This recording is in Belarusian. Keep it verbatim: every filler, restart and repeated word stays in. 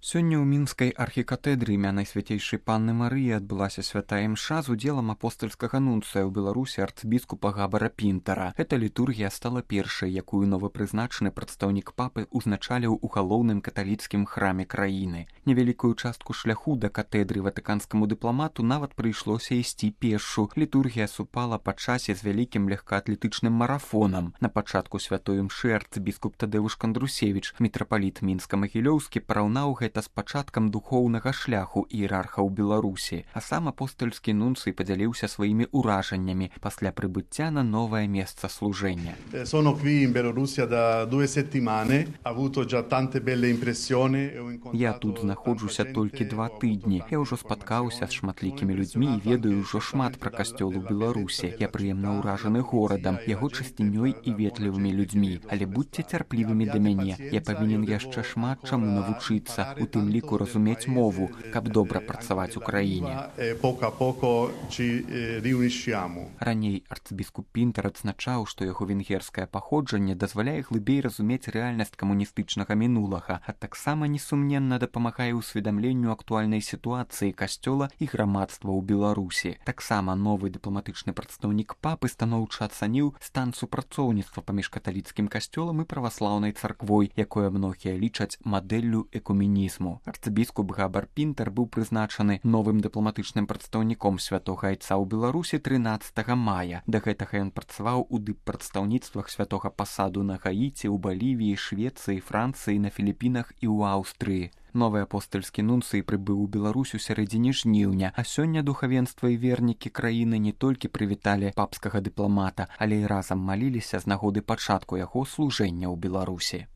Сёння ў мінскай архікатэдры імя Найсвяцейшай Панны Марыі адбылася святая імша з удзелам апостальскага нунцыя ў Беларусі арцыбіскупа Габара Пінтара. Эта літургія стала першай, якую новапрызначаны прадстаўнік папы ўзначаліў у галоўным каталіцкім храме краіны. Невялікую частку шляху да катедры ватыканскаму дыпламату нават прыйшлося ісці пешшу. Літургія супала па часе з вялікім легкаатлетычным марафонам. На пачатку святой імшы арцыбіскуп Тадэвуш Кандрусевіч, мітрапаліт мінска-магілёўскі, параўнаў гэта з пачаткам духоўнага шляху іерархаў Беларусі, а сам апостальскі нунцый падзяліўся сваімі ўражаннямі пасля прыбыцця на новае месца служэння. Sono qui in Bielorussia da due settimane, ho avuto già tante belle impressioni. Я тут знаходжуся толькі два тыдні. Я ўжо спаткаўся з шматлікімі людзьмі і ведаю ўжо шмат пра касцёл у Беларусі. Я прыемна ўражаны горадам, яго чысцінёй і ветлівымі людзьмі. Але будьце цярплівымі да мяне. Я павінен яшчэ шмат чаму навучыцца, у тым ліку разумець мову, каб добра працаваць у краіне. Раней арцыбіскуп Пінтар адзначаў, што яго венгерскае паходжанне дазваляе глыбей разумець рэальнасць камуністычнага мінулага, а таксама несумненна дапамагае ўсведамленню актуальнай сітуацыі касцёла і грамадства ў Беларусі. Таксама новы дыпламатычны прадстаўнік папы станоўча ацаніў стан супрацоўніцтва паміж каталіцкім касцёлам і праваслаўнай царквой, якое многія лічаць мадэллю экуменізму. Арцыбіскуп Габар Пінтар быў прызначаны новым дыпламатычным прадстаўніком святога айца ў Беларусі трынаццатага мая. Да гэтага ён працаваў у дыппрадстаўніцтвах святога пасаду на Гаіці, у Балівіі, Швецыі, Францыі, на Філіпінах і ў Аўстрыі. Новы апостальскі нунцый прыбыў у Беларусь у сярэдзіне жніўня, а сёння духавенства і вернікі краіны не толькі прывіталі папскага дыпламата, але і разам маліліся з нагоды пачатку яго служэння ў Беларусі.